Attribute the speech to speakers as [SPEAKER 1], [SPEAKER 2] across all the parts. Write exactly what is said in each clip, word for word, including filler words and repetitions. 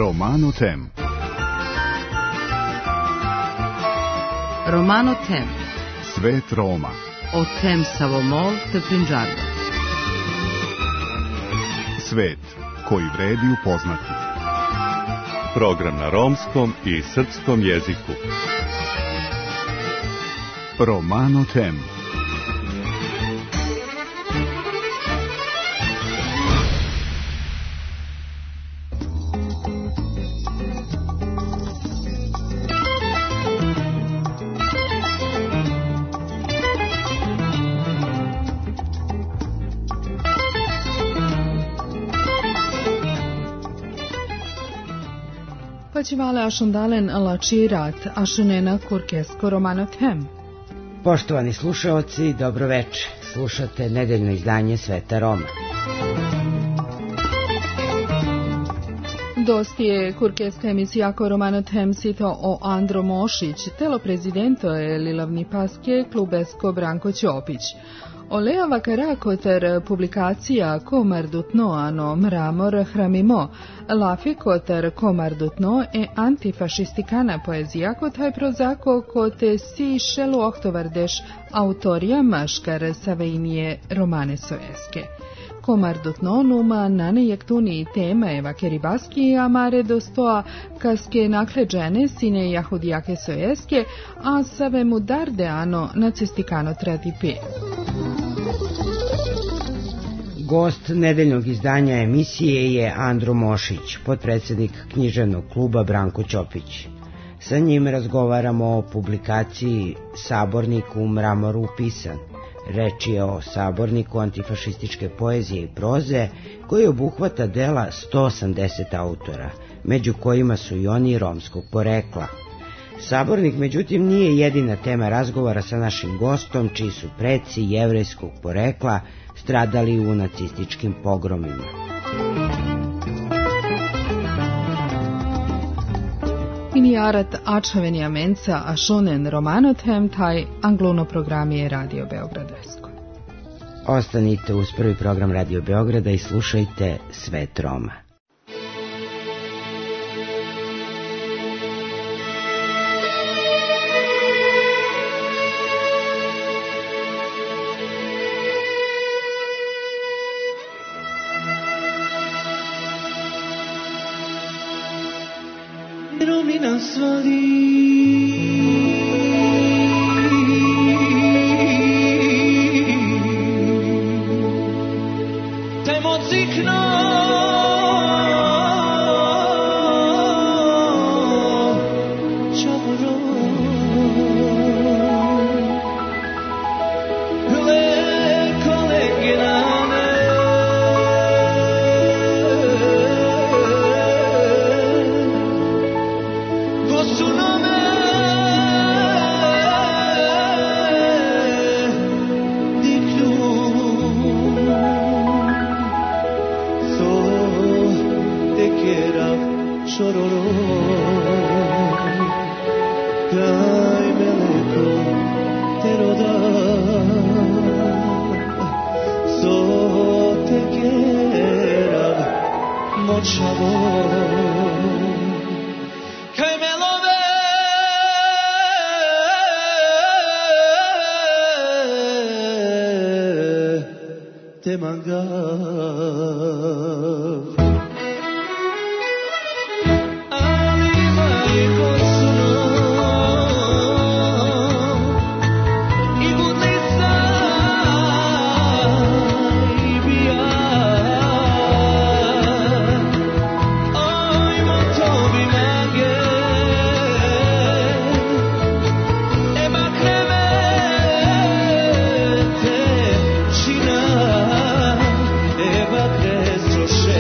[SPEAKER 1] Romano Tem.
[SPEAKER 2] Romano Tem.
[SPEAKER 1] Svet Roma.
[SPEAKER 2] O tem Savomol te Punjaba.
[SPEAKER 1] Svet koji vredi upoznati.
[SPEAKER 3] Program na romskom i srpskom jeziku.
[SPEAKER 1] Romano Tem.
[SPEAKER 4] Pačivale ašundalen lačirat ašunena kurkesko Romano Tem.
[SPEAKER 5] Poštovani slušaoci, dobroveče. Slušate nedeljno izdanje Sveta Roma.
[SPEAKER 4] Dosti je kurkeska emisija ko Romano Tem sito o Andro Mošić, telo prezidento je Lilavni paske klubesko Branko Ćopić. Olea vakarakoter publikacija komardutno ano mramor hramimo, lafikoter komardutno e antifašistikana poezija kotaj prozako kote si šelu ohtovardeš autorija maškar savejnije romane sojeske. Komardutno numa nane jektuni tema eva keribaski amare dostoa kaske nakleđene sine jahudijake sojeske, a save mu darde ano nacistikano tradipe.
[SPEAKER 5] Gost nedeljnog izdanja emisije je Andro Mošić, potpredsjednik književnog kluba Branko Ćopić. Sa njim razgovaramo o publikaciji Sabornik u mramoru pisan. Reč je o saborniku antifašističke poezije i proze koji obuhvata dela sto osamdeset autora, među kojima su i oni romskog porekla. Sabornik, međutim, nije jedina tema razgovora sa našim gostom, čiji su preci jevrejskog porekla stradali u nacističkim pogromima.
[SPEAKER 4] Inijarat Ačavenija menca ašunen Romano Tem taj angluno program je Radio Beogradesko.
[SPEAKER 5] Ostanite uz prvi program Radio Beograda i slušajte Svet Roma.
[SPEAKER 6] Eva Crestroše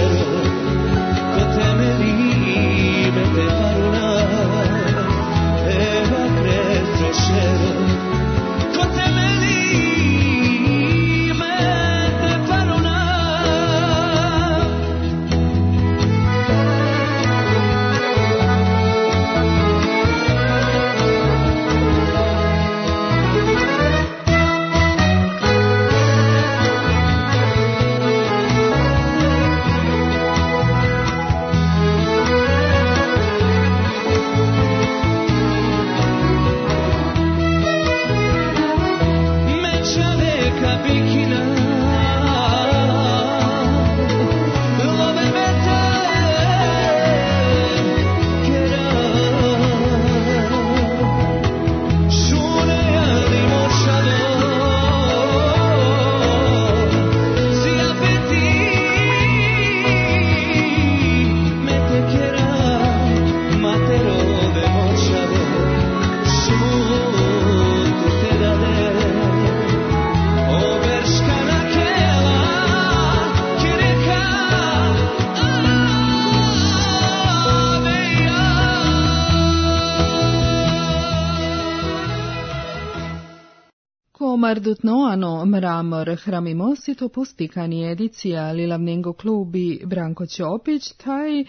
[SPEAKER 4] Komardutnoano mramor hramimosito pustikani edicija Lilavnengo klubi Branko Ćopić, taj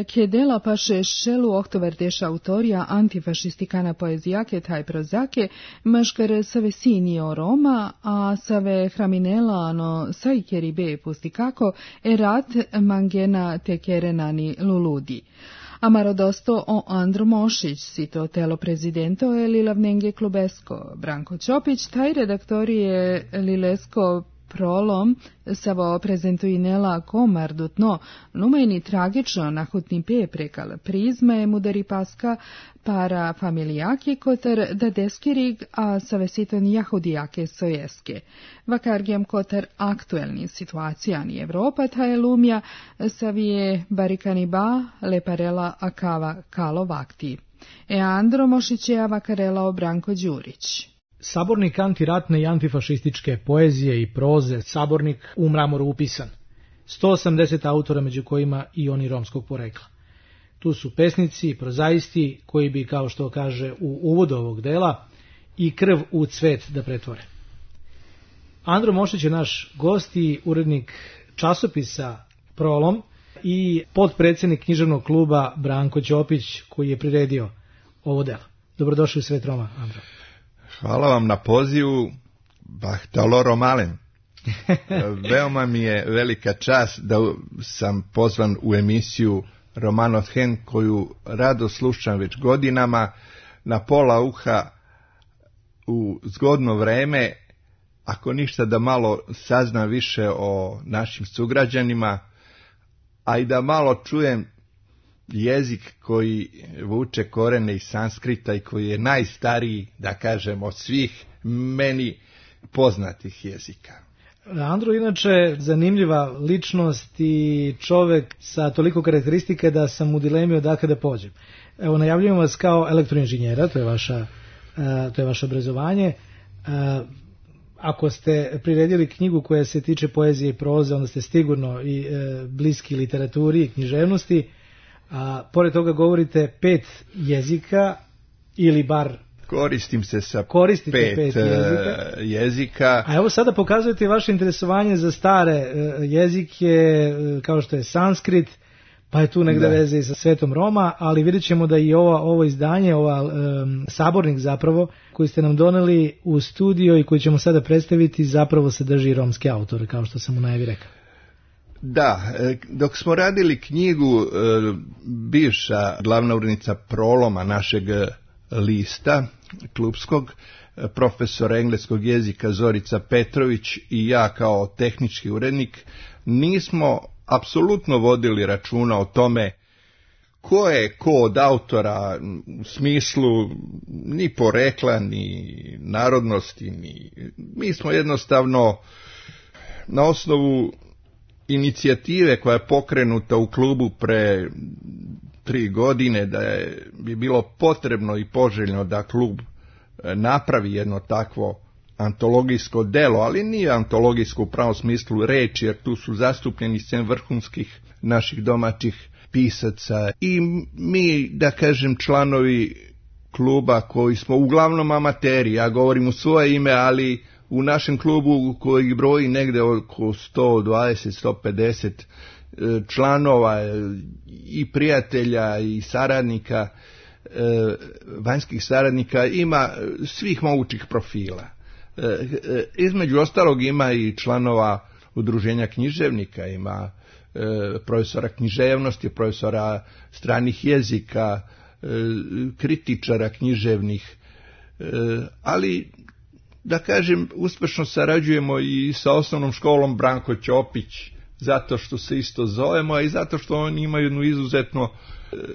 [SPEAKER 4] kjedela paše šelu oktoverdeša autorija antifašistikana poezijake taj prozake, maškar save sinio Roma, a save hraminelano sajkeri be pustikako erat mangena tekerenani luludi. Amarodosto o Andro Mošić, sito telo prezidento je Lilavnenge klubesko. Branko Ćopić, taj redaktor je Lilesko prolom savo prezentuinela komardutno, numajni tragično nahutni pe prekal prizme mudari paska para familijaki kotar da deskirig, a savesiton jahudijake sojeske. Vakargijem kotar aktuelni situacijani Evropa ta je lumja savije barikani ba leparela akava kalo vakti. E Andro Mošićeja vakarela o Branko Đurić.
[SPEAKER 6] Sabornik antiratne i antifašističke poezije i proze, sabornik u mramoru upisan. sto osamdeset autora, među kojima i oni romskog porekla. Tu su pesnici, prozaisti, koji bi, kao što kaže u uvodu ovog dela, i krv u cvet da pretvore. Andro Mošić je naš gost i urednik časopisa Prolom i potpredsjednik književnog kluba Branko Ćopić, koji je priredio ovo delo. Dobrodošli u Svet Roma, Andro.
[SPEAKER 7] Hvala vam na pozivu, Bahtalo Malen. Veoma mi je velika čast da sam pozvan u emisiju Romano Them, koju rado slušam već godinama, na pola uha u zgodno vreme, ako ništa da malo saznam više o našim sugrađanima, a i da malo čujem jezik koji vuče korene iz sanskrita i koji je najstariji, da kažem, od svih meni poznatih jezika.
[SPEAKER 6] Andro, inače, zanimljiva ličnost i čovek sa toliko karakteristike da sam u dilemi odakle da pođem. Evo, najavljujemo vas kao elektroinženjera, to je vaša, to je vaše obrazovanje. Ako ste priredili knjigu koja se tiče poezije i proze, onda ste sigurno i bliski literaturi i književnosti. A pored toga govorite pet jezika ili bar
[SPEAKER 7] koristim se sa
[SPEAKER 6] koristite
[SPEAKER 7] pet,
[SPEAKER 6] pet jezika.
[SPEAKER 7] jezika.
[SPEAKER 6] A evo sada pokazujete vaše interesovanje za stare jezike, kao što je sanskrit, pa je tu negde veze i sa Svetom Roma, ali vidjet ćemo da i ovo, ovo izdanje, ova um, sabornik zapravo, koji ste nam doneli u studio i koji ćemo sada predstaviti, zapravo sadrži romske autore, kao što sam u najavi rekao.
[SPEAKER 7] Da, dok smo radili knjigu, bivša glavna urednica Proloma, našeg lista klubskog, profesor engleskog jezika Zorica Petrović i ja kao tehnički urednik, nismo apsolutno vodili računa o tome ko je ko od autora u smislu ni porekla, ni narodnosti, ni... mi smo jednostavno na osnovu inicijative koja je pokrenuta u klubu pre tri godine, da je bi bilo potrebno i poželjno da klub napravi jedno takvo antologijsko delo, ali nije antologijsko u pravom smislu reči, jer tu su zastupljeni sem vrhunskih naših domaćih pisaca i mi, da kažem, članovi kluba koji smo uglavnom amateri, ja govorim u svoje ime, ali u našem klubu koji broji negde oko sto dvadeset do sto pedeset članova i prijatelja i saradnika, vanjskih saradnika, ima svih mogućih profila. Između ostalog ima i članova udruženja književnika, ima profesora književnosti, profesora stranih jezika, kritičara književnih, ali da kažem, uspešno sarađujemo i sa osnovnom školom Branko Ćopić, zato što se isto zovemo, a i zato što oni imaju jednu izuzetno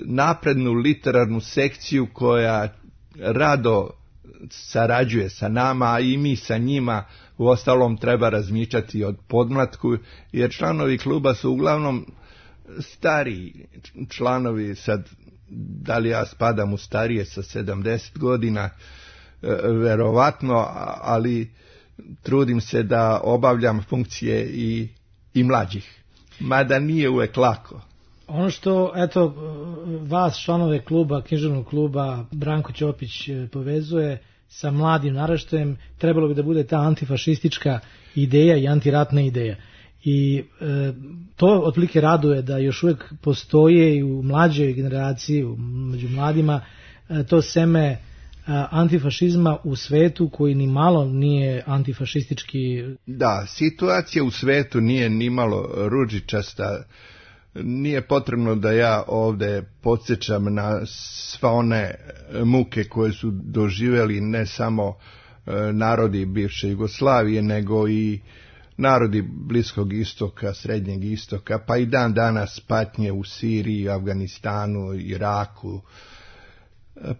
[SPEAKER 7] naprednu literarnu sekciju koja rado sarađuje sa nama, a i mi sa njima. U ostalom treba razmišljati od podmlatku, jer članovi kluba su uglavnom stari članovi, sad da li ja spadam u starije sa sedamdeset godina, verovatno, ali trudim se da obavljam funkcije i, i mlađih, mada nije uvek lako.
[SPEAKER 6] Ono što, eto, vas, članove kluba, književnog kluba Branko Ćopić povezuje sa mladim naraštajem, trebalo bi da bude ta antifašistička ideja i antiratna ideja. I e, to otprilike raduje da još uvijek postoje i u mlađoj generaciji, među mladima, e, to seme e, antifašizma u svetu koji ni malo nije antifašistički.
[SPEAKER 7] Da, situacija u svetu nije ni malo ružičasta. Nije potrebno da ja ovdje podsjećam na sva one muke koje su doživjeli ne samo e, narodi bivše Jugoslavije, nego i narodi Bliskog istoka, Srednjeg istoka, pa i dan danas patnje u Siriji, Afganistanu, Iraku,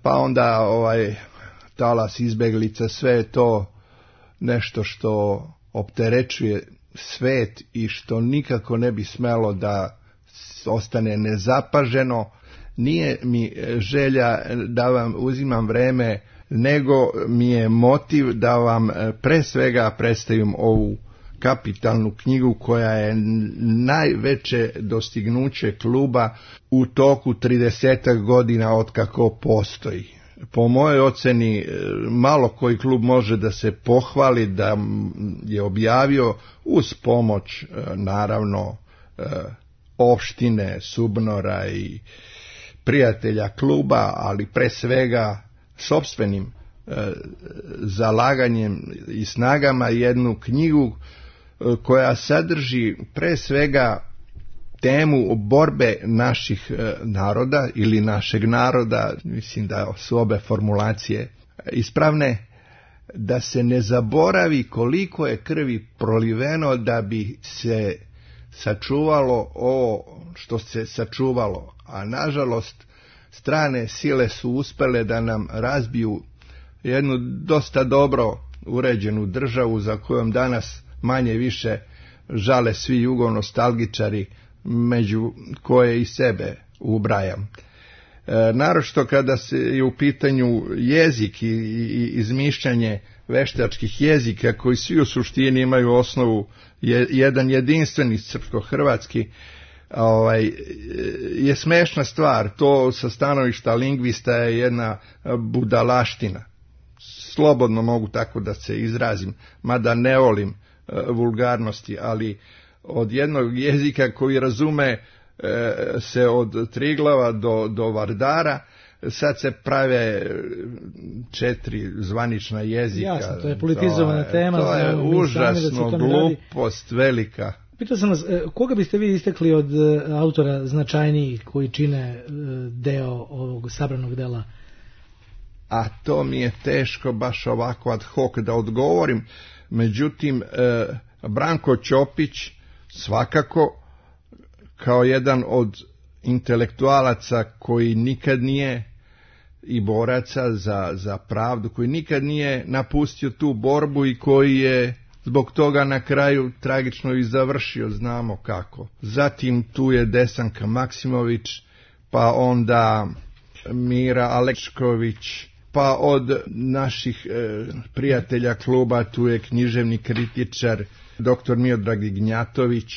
[SPEAKER 7] pa onda ovaj talas izbeglica, sve je to nešto što opterećuje svet i što nikako ne bi smelo da ostane nezapaženo. Nije mi želja da vam uzimam vreme, nego mi je motiv da vam pre svega predstavim ovu kapitalnu knjigu koja je najveće dostignuće kluba u toku tridesetak godina od kako postoji. Po mojoj oceni malo koji klub može da se pohvali da je objavio uz pomoć naravno opštine, Subnora i prijatelja kluba, ali pre svega sopstvenim zalaganjem i snagama jednu knjigu koja sadrži pre svega temu borbe naših naroda ili našeg naroda, mislim da su obe formulacije ispravne, da se ne zaboravi koliko je krvi proliveno da bi se sačuvalo ovo što se sačuvalo, a nažalost strane sile su uspele da nam razbiju jednu dosta dobro uređenu državu za kojom danas manje više žale svi jugonostalgičari, među koje i sebe ubrajam. E, naročito kada se je u pitanju jezik i, i izmišljanje veštačkih jezika koji svi u suštini imaju osnovu je, jedan jedinstveni srpsko-hrvatski, ovaj, je smešna stvar. To sa stanovišta lingvista je jedna budalaština. Slobodno mogu tako da se izrazim, mada ne volim e, vulgarnosti, ali od jednog jezika koji razume e, se od Triglava do, do Vardara, sad se prave četiri zvanična jezika.
[SPEAKER 6] Jasno, to je politizovana
[SPEAKER 7] to je,
[SPEAKER 6] tema.
[SPEAKER 7] To je užasno
[SPEAKER 6] da
[SPEAKER 7] glupost velika.
[SPEAKER 6] Pitao sam vas, koga biste vi istekli od autora značajnijih koji čine deo ovog sabranog dela?
[SPEAKER 7] A to mi je teško baš ovako ad hoc da odgovorim. Međutim, e, Branko Ćopić svakako kao jedan od intelektualaca koji nikad nije i boraca za, za pravdu, koji nikad nije napustio tu borbu i koji je zbog toga na kraju tragično i završio, znamo kako. Zatim tu je Desanka Maksimović, pa onda Mira Alekšković, pa od naših e, prijatelja kluba tu je književni kritičar doktor Miodrag Ignjatović,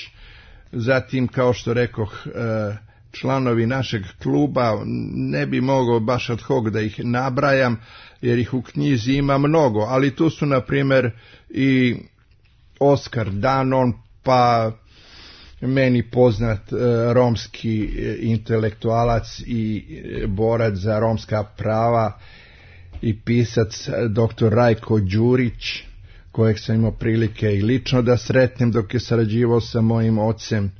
[SPEAKER 7] zatim kao što rekoh e, članovi našeg kluba, ne bi mogao baš ad hoc da ih nabrajam jer ih u knjizi ima mnogo, ali tu su na primjer i Oskar Danon, pa meni poznat e, romski e, intelektualac i e, borac za romska prava i pisac doktor Rajko Đurić, kojeg sam imao prilike i lično da sretnem dok je sarađivao sa mojim ocem.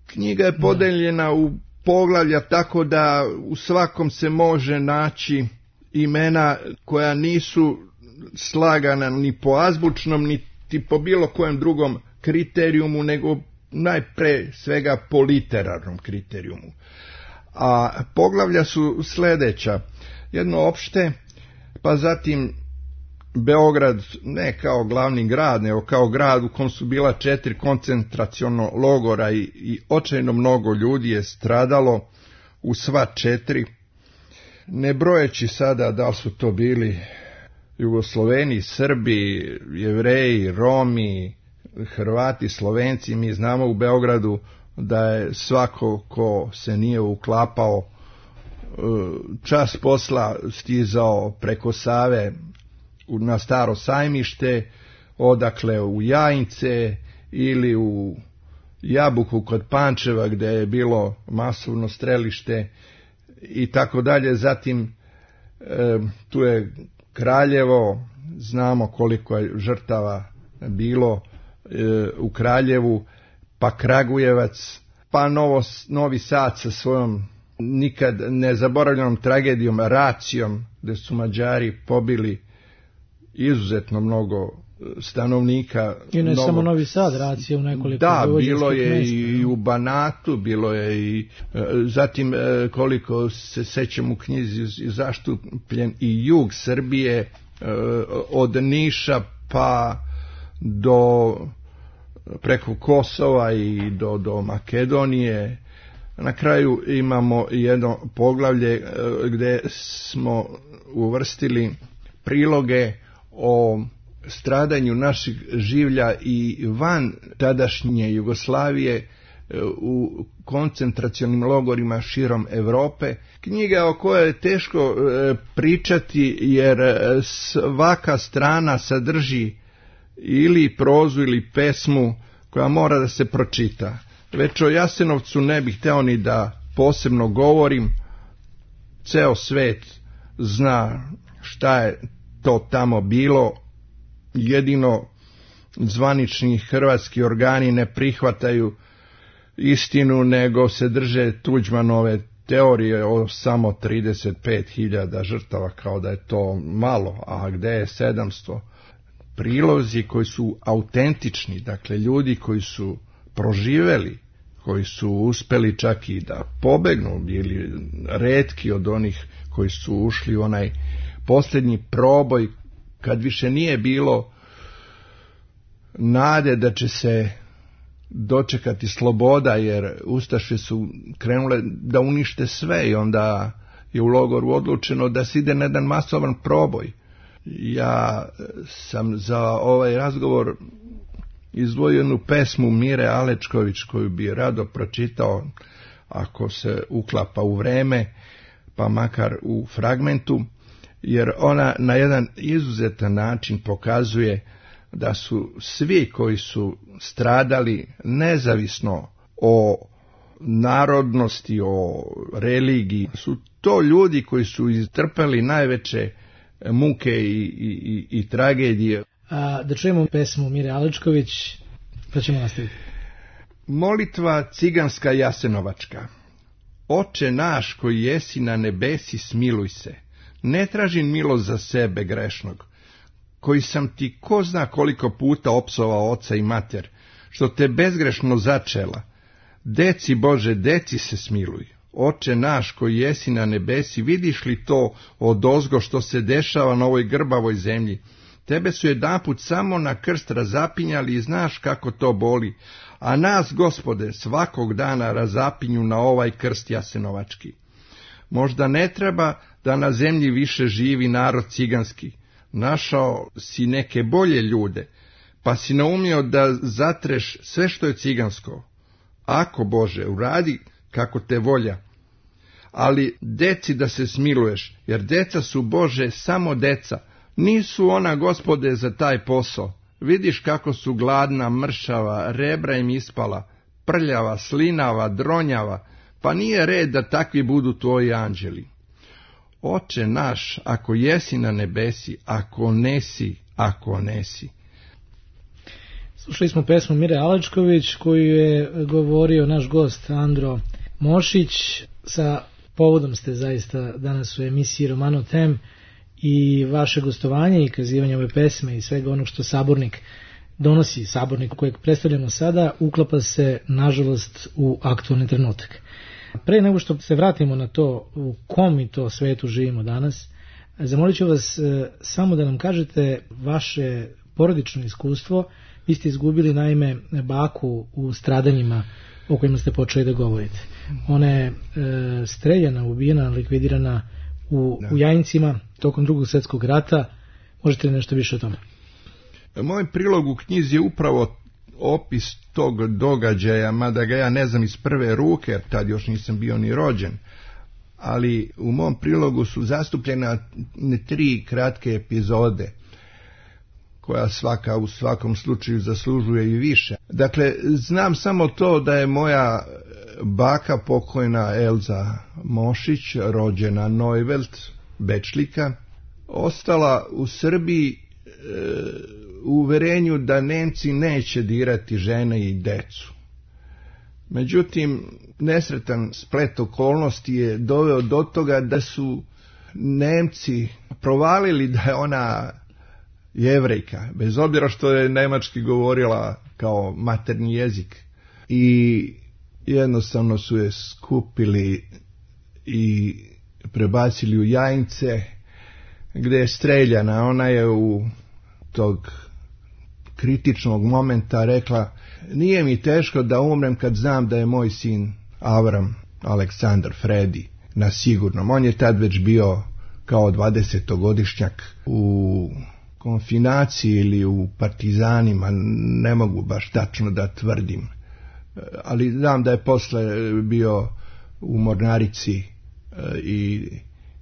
[SPEAKER 7] Knjiga je podeljena u poglavlja tako da u svakom se može naći imena koja nisu slagana ni po azbučnom, niti po bilo kojem drugom kriterijumu, nego najpre svega po literarnom kriterijumu. A poglavlja su sljedeća: jedno opšte, pa zatim Beograd ne kao glavni grad, nego kao grad u kom su bila četiri koncentraciono logora i, i očajno mnogo ljudi je stradalo u sva četiri, ne brojeći sada da li su to bili Jugosloveni, Srbi, Jevreji, Romi, Hrvati, Slovenci. Mi znamo u Beogradu da je svako ko se nije uklapao čas posla stizao preko Save na Staro Sajmište, odakle u Jajince ili u Jabuku kod Pančeva gdje je bilo masovno strelište i tako dalje. Zatim e, tu je Kraljevo, znamo koliko je žrtava bilo e, u Kraljevu, pa Kragujevac, pa Novo, Novi Sad sa svojom nikad nezaboravljenom tragedijom, Racijom, gdje su Mađari pobili izuzetno mnogo stanovnika.
[SPEAKER 6] I ne
[SPEAKER 7] Novog...
[SPEAKER 6] samo Novi Sad, Racija u nekoliko.
[SPEAKER 7] Da, bilo je
[SPEAKER 6] mjesta,
[SPEAKER 7] i u Banatu, bilo je i zatim koliko se sećam u knjizi zaštupljen i jug Srbije od Niša pa do preko Kosova i do, do Makedonije. Na kraju imamo jedno poglavlje gdje smo uvrstili priloge o stradanju naših življa i van tadašnje Jugoslavije u koncentracionim logorima širom Europe. Knjiga o kojoj je teško pričati jer svaka strana sadrži ili prozu ili pesmu koja mora da se pročita. Već o Jasenovcu ne bih hteo ni da posebno govorim. Ceo svet zna šta je to tamo bilo. Jedino zvanični hrvatski organi ne prihvataju istinu, nego se drže Tuđmanove teorije o samo trideset pet hiljada žrtava, kao da je to malo, a gde je sedamsto. Prilozi koji su autentični, dakle ljudi koji su proživeli, koji su uspeli čak i da pobegnu, bili retki od onih koji su ušli u onaj posljednji proboj, kad više nije bilo nade da će se dočekati sloboda, jer ustaše su krenule da unište sve i onda je u logoru odlučeno da se ide na jedan masovan proboj. Ja sam za ovaj razgovor izdvojio jednu pesmu Mire Alečković koju bi rado pročitao ako se uklapa u vreme, pa makar u fragmentu, jer ona na jedan izuzetan način pokazuje da su svi koji su stradali, nezavisno o narodnosti, o religiji, su to ljudi koji su istrpeli najveće muke i, i, i tragedije.
[SPEAKER 6] A, da čujemo pesmu Mire Alečković, pa ćemo nastaviti.
[SPEAKER 7] Molitva ciganska jasenovačka. Oče naš koji jesi na nebesi, smiluj se. Ne tražim milost za sebe grešnog, koji sam ti ko zna koliko puta opsovao oca i mater, što te bezgrešno začela. Deci Bože, deci se smiluj. Oče naš koji jesi na nebesi, vidiš li to odozgo što se dešava na ovoj grbavoj zemlji? Tebe su jedanput samo na krst razapinjali i znaš kako to boli, a nas, Gospode, svakog dana razapinju na ovaj krst jasenovački. Možda ne treba da na zemlji više živi narod ciganski. Našao si neke bolje ljude, pa si naumio da zatreš sve što je cigansko. Ako, Bože, uradi kako te volja. Ali deci da se smiluješ, jer deca su, Bože, samo deca. Nisu ona, Gospode, za taj posao. Vidiš kako su gladna, mršava, rebra im ispala, prljava, slinava, dronjava, pa nije red da takvi budu tvoji anđeli. Oče naš, ako jesi na nebesi, ako nesi, ako nesi.
[SPEAKER 6] Slušali smo pesmu Mire Alečković koju je govorio naš gost Andro Mošić. Sa povodom ste zaista danas u emisiji Romano Tem i vaše gostovanje i kazivanje ove pesme i svega onog što Sabornik donosi, Sabornik kojeg predstavljamo sada, uklapa se nažalost u aktualni trenutak. Pre nego što se vratimo na to u kom mi to svetu živimo danas, zamolit ću vas e, samo da nam kažete vaše porodično iskustvo. Vi ste izgubili naime baku u stradanjima o kojima ste počeli da govorite. Ona je e, streljana, ubijena, likvidirana u, u Jajincima tokom Drugog svjetskog rata. Možete li nešto više o tome?
[SPEAKER 7] Moj prilog u knjizi je upravo opis tog događaja, mada ga ja ne znam iz prve ruke, jer tad još nisam bio ni rođen, ali u mom prilogu su zastupljene tri kratke epizode. koja svaka u svakom slučaju zaslužuje i više. Dakle, znam samo to da je moja baka pokojna Elza Mošić, rođena Neuveld, Bečlika, ostala u Srbiji e, u uverenju da Nemci neće dirati žene i decu. Međutim, nesretan splet okolnosti je doveo do toga da su Nemci provalili da je ona Jevrejka, bez obzira što je nemački govorila kao maternji jezik, i jednostavno su je skupili i prebacili u Jajince, gdje je streljana. Ona je u tog kritičnog momenta rekla: nije mi teško da umrem kad znam da je moj sin Avram Aleksandar Fredi na sigurnom. On je tad već bio kao dvadesetogodišnjak u konfinaciji ili u partizanima, ne mogu baš tačno da tvrdim, ali znam da je posle bio u Mornarici i,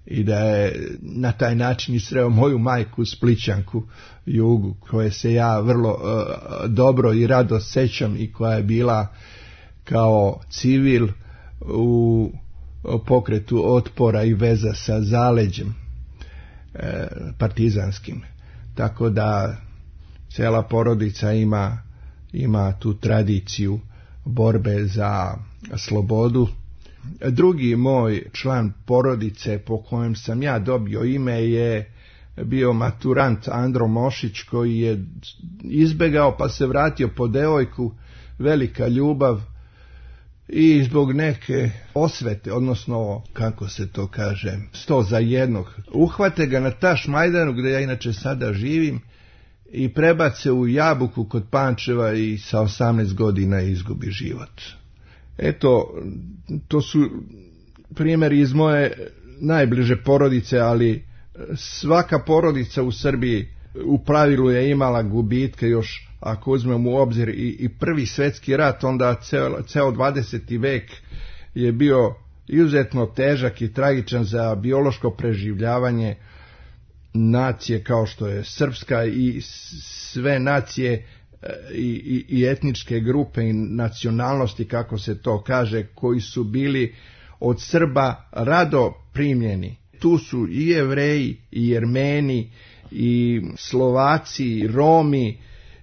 [SPEAKER 7] i da je na taj način i sreo moju majku Splićanku Jugu, koje se ja vrlo uh, dobro i rado sećam i koja je bila kao civil u pokretu otpora i veza sa zaleđem uh, partizanskim. Tako da cijela porodica ima, ima tu tradiciju borbe za slobodu. Drugi moj član porodice po kojem sam ja dobio ime je bio maturant Andro Mošić, koji je izbegao pa se vratio po devojku, velika ljubav, i zbog neke osvete, odnosno kako se to kaže, sto za jednog, uhvate ga na Tašmajdanu, gdje ja inače sada živim, i prebace u Jabuku kod Pančeva i sa osamnaest godina izgubi život. Eto, to su primjeri iz moje najbliže porodice, ali svaka porodica u Srbiji u pravilu je imala gubitke, još ako uzmemo u obzir i, i prvi svjetski rat, onda ceo, ceo dvadeseti vek je bio izuzetno težak i tragičan za biološko preživljavanje nacije kao što je srpska i sve nacije i, i, i etničke grupe i nacionalnosti, kako se to kaže, koji su bili od Srba rado primljeni. Tu su i Jevreji, i Jermeni, i Slovaci, i Romi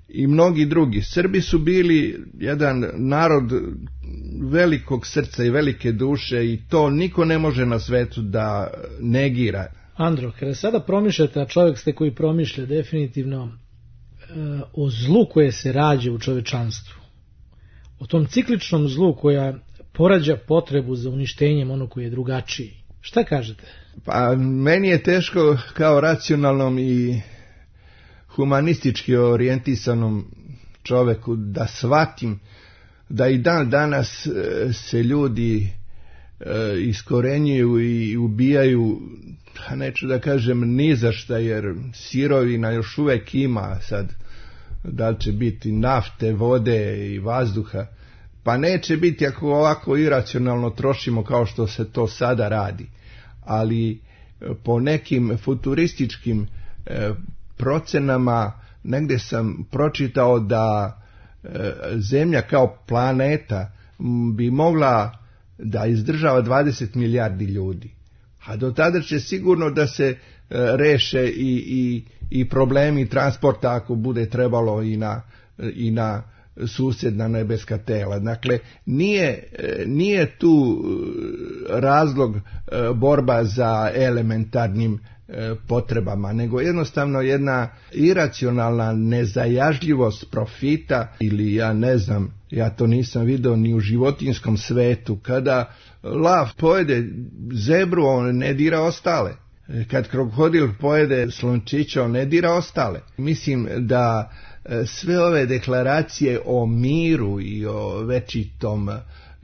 [SPEAKER 7] i mnogi drugi. Srbi su bili jedan narod velikog srca i velike duše i to niko ne može na svetu da negira.
[SPEAKER 6] Andro, kada sada promišljate, a čovjek ste koji promišlja definitivno e, o zlu koje se rađa u čovečanstvu, o tom cikličnom zlu koja porađa potrebu za uništenjem onog koji je drugačiji, šta kažete?
[SPEAKER 7] Pa meni je teško kao racionalnom i humanistički orijentisanom čovjeku da shvatim da i dan danas se ljudi e, iskorenjuju i ubijaju, neću da kažem ni za šta, jer sirovina još uvijek ima, sad da li će biti nafte, vode i vazduha, pa neće biti ako ovako iracionalno trošimo kao što se to sada radi. Ali po nekim futurističkim e, procenama negdje sam pročitao da e, Zemlja kao planeta m, bi mogla da izdržava dvadeset milijardi ljudi. A do tada će sigurno da se e, reše i, i, i problemi transporta ako bude trebalo i na, i na susjedna nebeska tela. Dakle, nije, nije tu razlog borba za elementarnim potrebama, nego jednostavno jedna iracionalna nezajažljivost profita, ili ja ne znam, ja to nisam vidio ni u životinjskom svetu, kada lav pojede zebru, on ne dira ostale. Kad krokodil pojede slončića, on ne dira ostale. Mislim da sve ove deklaracije o miru i o večitom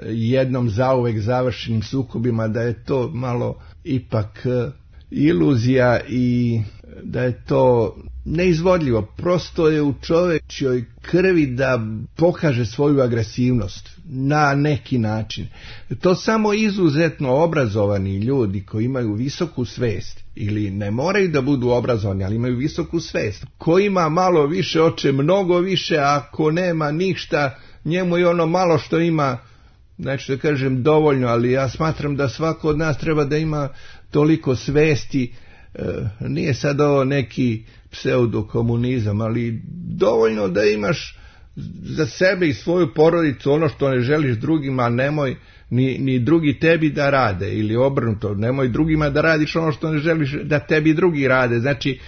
[SPEAKER 7] jednom zauvek završenim sukobima, da je to malo ipak iluzija i da je to neizvodljivo. Prosto je u čovječoj krvi da pokaže svoju agresivnost na neki način. To samo izuzetno obrazovani ljudi koji imaju visoku svest, ili ne moraju da budu obrazovani, ali imaju visoku svest. Ko ima malo više oče mnogo više, a ako nema ništa, njemu je ono malo što ima, znači da kažem dovoljno, ali ja smatram da svako od nas treba da ima toliko svesti. E, nije sad ovo neki pseudokomunizam, ali dovoljno da imaš za sebe i svoju porodicu ono što ne želiš drugima, nemoj ni, ni drugi tebi da rade, ili obrnuto, nemoj drugima da radiš ono što ne želiš da tebi drugi rade. Znači,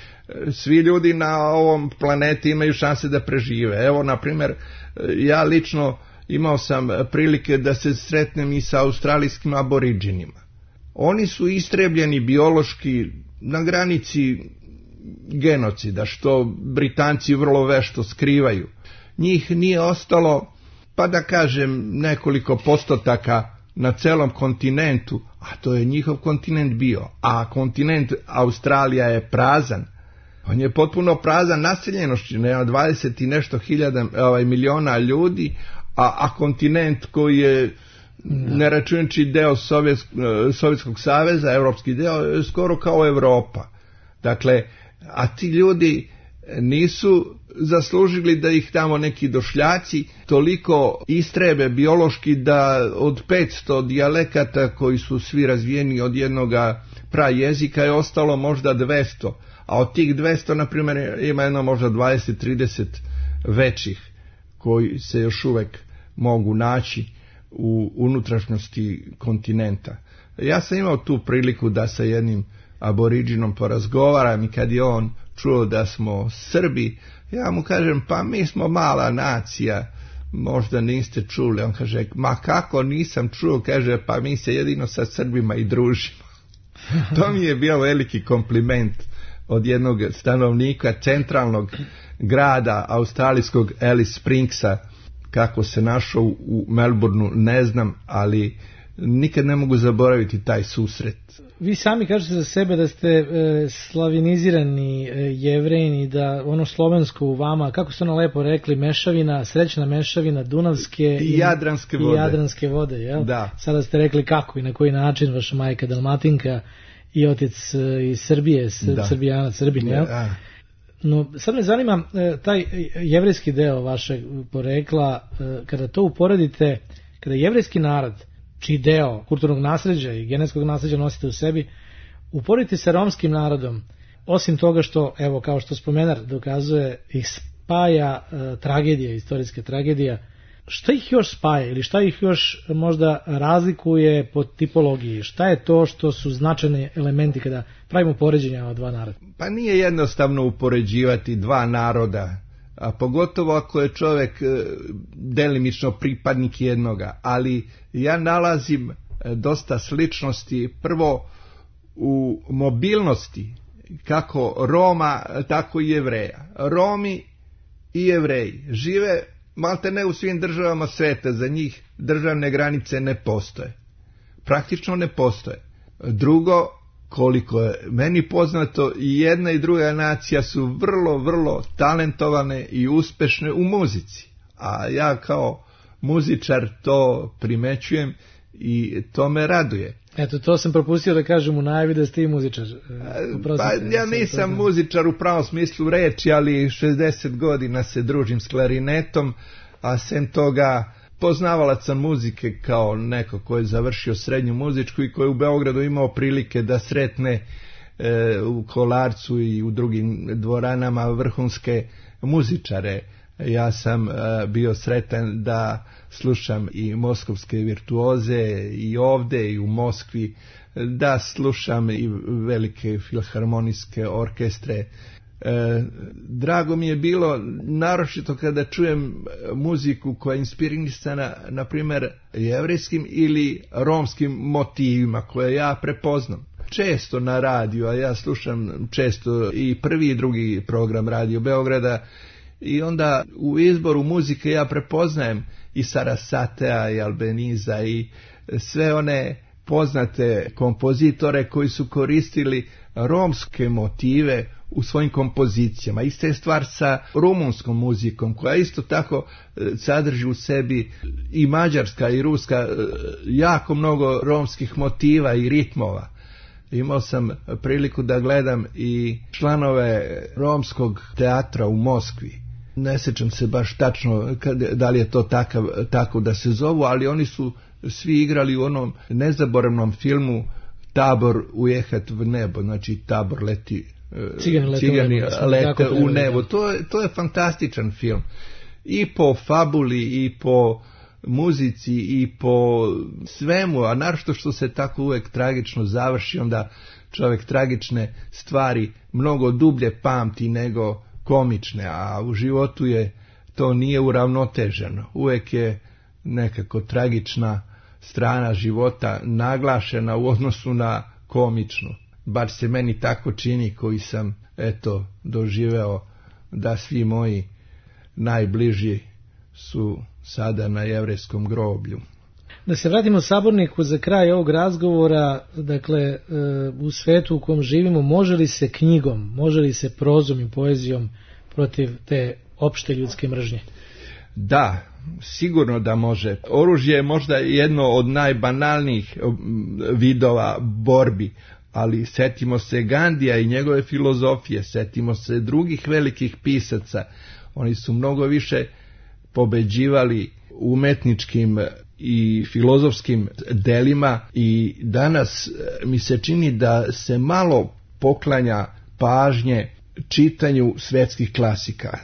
[SPEAKER 7] svi ljudi na ovom planeti imaju šanse da prežive. Evo, na primjer, ja lično imao sam prilike da se sretnem i sa australijskim aboriđinima. Oni su istrebljeni biološki na granici genocida, što Britanci vrlo vešto skrivaju. Njih nije ostalo, pa da kažem, nekoliko postotaka na celom kontinentu, a to je njihov kontinent bio. A kontinent Australija je prazan. On je potpuno prazan naseljenošću, nema dvadeset i nešto hiljada ovaj, miliona ljudi, a, a kontinent koji je, ne računajući deo Sovjet, Sovjetskog saveza, evropski deo, je skoro kao Evropa. Dakle, a ti ljudi nisu zaslužili da ih tamo neki došljaci toliko istrebe biološki da od petsto dijalekata koji su svi razvijeni od jednoga prajezika je ostalo možda dvesta, a od tih dvesta, na primjer, ima jedno možda dvadeset trideset većih koji se još uvek mogu naći u unutrašnjosti kontinenta. Ja sam imao tu priliku da sa jednim aboriđinom porazgovaram i kad je on čuo da smo Srbi, ja mu kažem, pa mi smo mala nacija, možda niste čuli. On kaže, ma kako nisam čuo, kaže, pa mi se jedino sa Srbima i družimo. To mi je bio veliki kompliment od jednog stanovnika centralnog grada australijskog Alice Springsa. Kako se našao u Melbourneu ne znam, ali nikad ne mogu zaboraviti taj susret.
[SPEAKER 6] Vi sami kažete za sebe da ste e, slavinizirani e, Jevrejin i da ono slovensko u vama, kako ste ono lepo rekli, mešavina, srećna mešavina Dunavske
[SPEAKER 7] i, i Jadranske vode.
[SPEAKER 6] I Jadranske vode, jel?
[SPEAKER 7] Da.
[SPEAKER 6] Sada ste rekli kako i na koji način vaša majka Dalmatinka i otec e, iz Srbije, s, Srbijana, Srbin, jel? Da. No, sad me zanima e, taj jevrejski deo vašeg porekla, e, kada to uporedite, kada jevrejski narod, čiji deo kulturnog nasleđa i genetskog nasleđa nosite u sebi, uporedite sa romskim narodom, osim toga što, evo, kao što spomenar dokazuje, ih spaja e, tragedija, istorijska tragedija, šta ih još spaja ili šta ih još možda razlikuje po tipologiji? Šta je to što su značajni elementi kada pravimo poređenja ova dva naroda?
[SPEAKER 7] Pa nije jednostavno upoređivati dva naroda, a pogotovo ako je čovjek delimično pripadnik jednoga, ali ja nalazim dosta sličnosti prvo u mobilnosti kako Roma, tako i Jevreja. Romi i Jevreji žive malte ne u svim državama sveta, za njih državne granice ne postoje. Praktično ne postoje. Drugo, koliko je meni poznato, i jedna i druga nacija su vrlo, vrlo talentovane i uspešne u muzici. A ja kao muzičar to primećujem i to me raduje.
[SPEAKER 6] Eto, to sam propustio da kažem u najavi da ste i muzičar.
[SPEAKER 7] Pa ja nisam muzičar u pravom smislu reči, ali šezdeset godina se družim s klarinetom, a sem toga poznavalac sam muzike kao neko ko je završio srednju muzičku i koji je u Beogradu imao prilike da sretne e, u Kolarcu i u drugim dvoranama vrhunske muzičare. Ja sam e, bio sretan da slušam i moskovske virtuoze i ovde i u Moskvi, da slušam i velike filharmonijske orkestre. E, drago mi je bilo, naročito kada čujem muziku koja je inspirisana, na primjer, jevrejskim ili romskim motivima koje ja prepoznam. Često na radiju, a ja slušam često i prvi i drugi program Radio Beograda, i onda u izboru muzike ja prepoznajem i Sarasatea i Albeniza i sve one poznate kompozitore koji su koristili romske motive u svojim kompozicijama. Ista je stvar sa rumunskom muzikom, koja isto tako sadrži u sebi i mađarska i ruska jako mnogo romskih motiva i ritmova. Imao sam priliku da gledam i članove romskog teatra u Moskvi. Ne sjećam se baš tačno da li je to takav, tako da se zovu, ali oni su svi igrali u onom nezaboravnom filmu Tabor ujehat v nebo, znači Tabor leti,
[SPEAKER 6] Cigani lete,
[SPEAKER 7] cigani
[SPEAKER 6] u, nebo,
[SPEAKER 7] lete u nebo. To je, to je fantastičan film. I po fabuli, i po muzici, i po svemu, a naročito što se tako uvek tragično završi, onda čovjek tragične stvari mnogo dublje pamti nego komične, a u životu je to nije uravnoteženo. Uvek je nekako tragična strana života naglašena u odnosu na komičnu. Bar se meni tako čini, koji sam eto doživeo da svi moji najbliži su sada na jevrejskom groblju.
[SPEAKER 6] Da se vratimo Saborniku za kraj ovog razgovora, dakle u svetu u kom živimo, može li se knjigom, može li se prozom i poezijom protiv te opšte ljudske mržnje?
[SPEAKER 7] Da, sigurno da može. Oružje je možda jedno od najbanalnijih vidova borbi, ali setimo se Gandija i njegove filozofije, setimo se drugih velikih pisaca. Oni su mnogo više pobeđivali umetničkim i filozofskim delima i danas mi se čini da se malo poklanja pažnje čitanju svetskih klasika.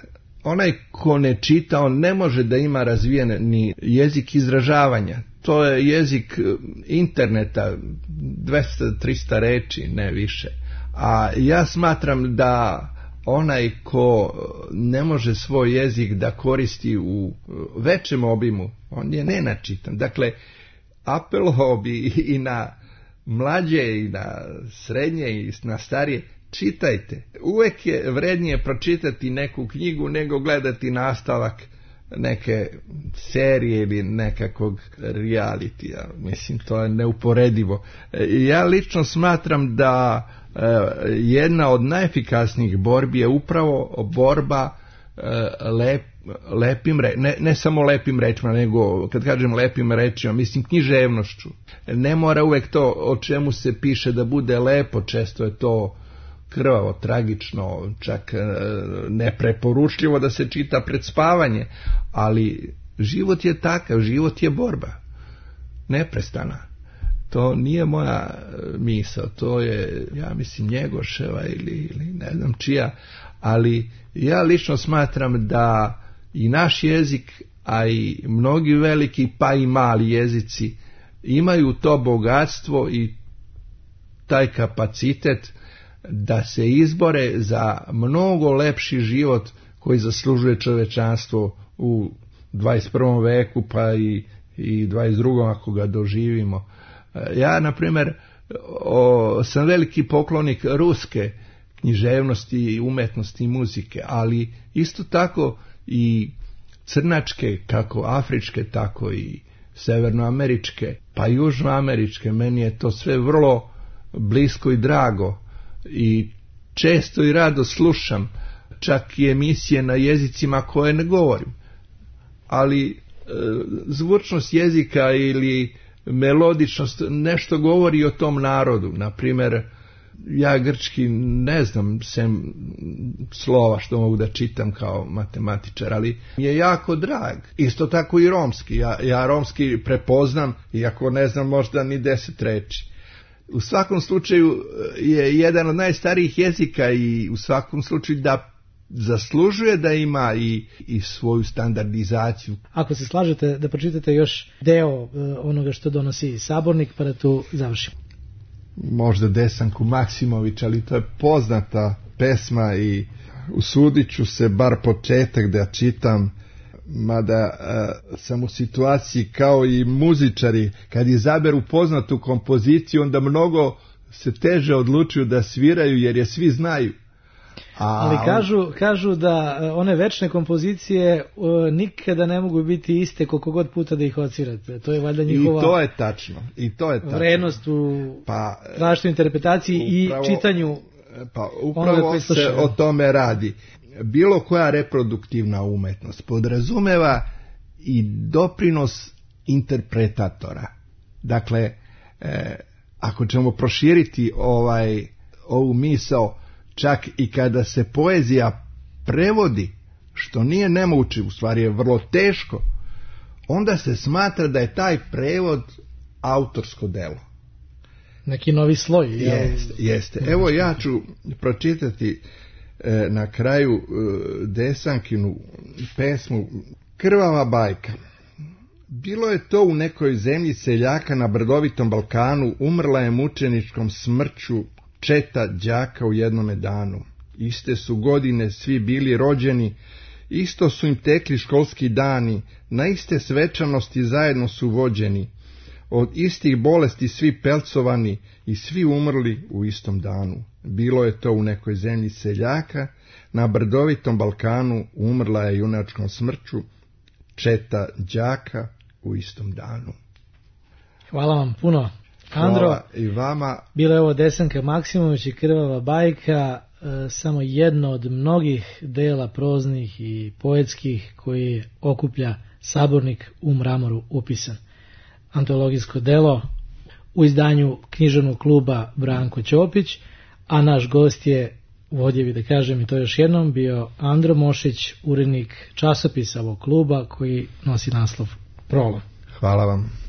[SPEAKER 7] Onaj ko ne čita, on ne može da ima razvijen ni jezik izražavanja. To je jezik interneta, dvesta do trista reči, ne više. A ja smatram da onaj ko ne može svoj jezik da koristi u većem obimu, on je nenačitan. Dakle, apelovao bi i na mlađe i na srednje i na starije, čitajte. Uvek je vrednije pročitati neku knjigu nego gledati nastavak neke serije ili nekakvog realitija. Mislim, to je neuporedivo. Ja lično smatram da jedna od najefikasnijih borbi je upravo borba lep, lepim re, ne, ne samo lepim rečima, nego kad kažem lepim rečima, mislim književnošću. Ne mora uvek to o čemu se piše da bude lepo, često je to krvavo, tragično, čak nepreporučljivo da se čita pred spavanje, ali život je takav, život je borba, neprestana. To nije moja misao, to je, ja mislim, Njegoševa ili, ili ne znam čija, ali ja lično smatram da i naš jezik, a i mnogi veliki pa i mali jezici imaju to bogatstvo i taj kapacitet da se izbore za mnogo lepši život koji zaslužuje čovečanstvo u dvadeset prvom veku pa i, i dvadeset drugom ako ga doživimo. Ja, na primjer, o, sam veliki poklonik ruske književnosti, umetnosti i muzike, ali isto tako i crnačke, kako afričke, tako i severnoameričke, pa južnoameričke. Meni je to sve vrlo blisko i drago i često i rado slušam, čak i emisije na jezicima koje ne govorim. Ali e, zvučnost jezika ili melodičnost nešto govori o tom narodu. Na primjer, ja grčki ne znam sem slova što mogu da čitam kao matematičar, ali mi je jako drag. Isto tako i romski. Ja, ja romski prepoznam, iako ne znam možda ni deset reči. U svakom slučaju je jedan od najstarijih jezika i u svakom slučaju da zaslužuje da ima i, i svoju standardizaciju.
[SPEAKER 6] Ako se slažete da pročitate još deo onoga što donosi Sabornik, pa da tu završimo.
[SPEAKER 7] Možda Desanku Maksimović, ali to je poznata pesma i usudit ću se bar početak da čitam, mada uh, sam u situaciji kao i muzičari, kad izaberu poznatu kompoziciju, onda mnogo se teže odlučuju da sviraju jer je svi znaju. A
[SPEAKER 6] ali kažu, kažu da one večne kompozicije uh, nikada ne mogu biti iste koliko god puta da ih odsvirate. To je valjda njihova
[SPEAKER 7] I to je tačno. I to je tačno.
[SPEAKER 6] Vrednost u
[SPEAKER 7] pa,
[SPEAKER 6] različitoj interpretaciji upravo, i čitanju
[SPEAKER 7] Pa upravo se o tome radi. Bilo koja reproduktivna umetnost podrazumeva i doprinos interpretatora. Dakle, e, ako ćemo proširiti ovaj, ovu misao, čak i kada se poezija prevodi, što nije nemoguće, u stvari je vrlo teško, onda se smatra da je taj prevod autorsko delo.
[SPEAKER 6] Neki novi sloj.
[SPEAKER 7] Jeste, jeste. Evo ja ću pročitati e, na kraju e, Desankinu pesmu Krvava bajka. Bilo je to u nekoj zemlji seljaka na brdovitom Balkanu, umrla je mučeničkom smrću četa đaka u jednome danu. Iste su godine svi bili rođeni, isto su im tekli školski dani, na iste svečanosti zajedno su vođeni, od istih bolesti svi pelcovani i svi umrli u istom danu. Bilo je to u nekoj zemlji seljaka, na brdovitom Balkanu umrla je junačkom smrću četa đaka u istom danu.
[SPEAKER 6] Hvala vam puno, Andro.
[SPEAKER 7] Hvala i vama.
[SPEAKER 6] Bila je ovo Desanka Maksimović i Krvava bajka, e, samo jedno od mnogih dela proznih i poetskih koji okuplja Sabornik u mramoru upisan. Antologijsko delo u izdanju književnog kluba Branko Ćopić, a naš gost je, vodjevi da kažem i to još jednom, bio Andro Mošić, urednik časopisa ovog kluba koji nosi naslov Prolom.
[SPEAKER 7] Hvala vam.